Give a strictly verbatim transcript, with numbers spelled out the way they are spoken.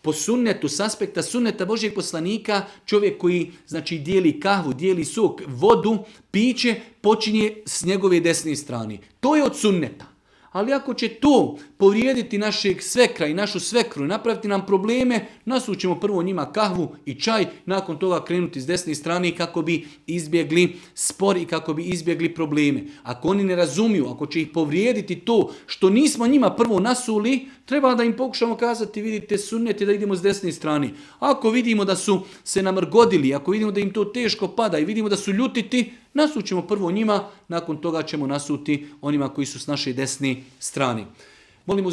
po sunnetu, s aspekta sunneta Božjeg poslanika, čovjek koji znači dijeli kahvu, dijeli sok, vodu, piće, počinje s njegove desne strane. To je od sunneta. Ali ako će to povrijediti našeg svekra i našu svekru i napraviti nam probleme, nasućemo prvo njima kahvu i čaj, nakon toga krenuti s desne strane kako bi izbjegli spor i kako bi izbjegli probleme. Ako oni ne razumiju, ako će ih povrijediti to što nismo njima prvo nasuli, treba da im pokušamo kazati, vidite, sunnete da idemo s desne strane. Ako vidimo da su se namrgodili, ako vidimo da im to teško pada i vidimo da su ljutiti, nasućemo prvo njima, nakon toga ćemo nasuti onima koji su s naše desne strane. Molim